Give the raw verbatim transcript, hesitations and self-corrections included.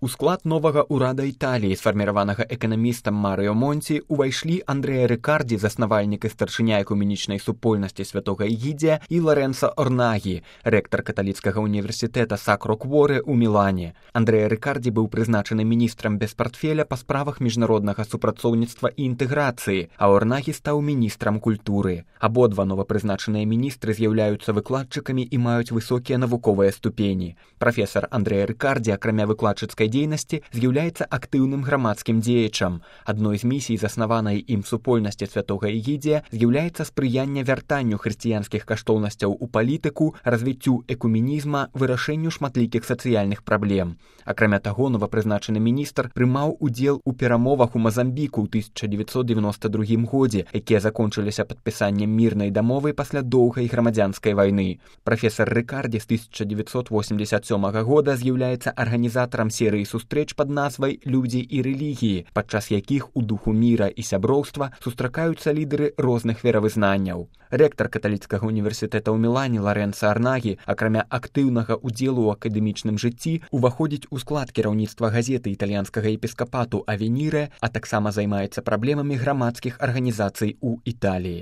У склад новага ўрада Італіі, сфарміраванага эканамістам Марыо Монці, увайшлі Андрэа Рыкардзі, заснавальнік і старшыня экуменічнай супольнасці святога Ігідзія, і Ларэнцо Орнагі, рэктар каталіцкага універсітэта Сакро Кворе ў Мілане. Андрэа Рыкардзі быў прызначаны міністрам без партфеля па справах міжнароднага супрацоўніцтва і інтэграцыі, а Орнагі стаў міністрам культуры. Абодва новапрызначаныя міністры з'яўляюцца выкладчыкамі і маюць высокія навуковыя ступені. Прафесар Андрэа Рыкардзі, акрамя выкладчыцкай дзейнасці, з'яўляецца актыўным грамадскім дзеячам. Адной з місій заснаванай ім супольнасці святога Ігідзія з'яўляецца спрыянне вяртанню хрысціянскіх каштоўнасцяў у палітыку, развіццю экуменізма, вырашэнню шматлікіх сацыяльных праблем. Акрамя таго, новапрызначаны міністр прымаў удзел у перамовах у Мазамбіку ў тысяча дзевяцьсот дзевяноста другім годзе, якія закончыліся падпісаннем мірнай дамовы пасля доўгай грамадзянскай вайны. Прафесар Рыкардзі з тысяча дзевяцьсот восемьдесят сёмага года з'яўляецца арганізатарам серыі сустрэч пад назвай «Людзі і рэлігіі», падчас якіх у духу міра і сяброўства сустракаюцца лідары розных веравызнанняў. Рэктар каталіцкага універсітэта ў Мілане Ларэнцо Орнагі, акрамя актыўнага ўдзелу ў акадэмічным жыцці, уваходзіць у склад кіраўніцтва газеты італьянскага епіскапату «Авеніре», а таксама займаецца праблемамі грамадскіх арганізацый у Італіі.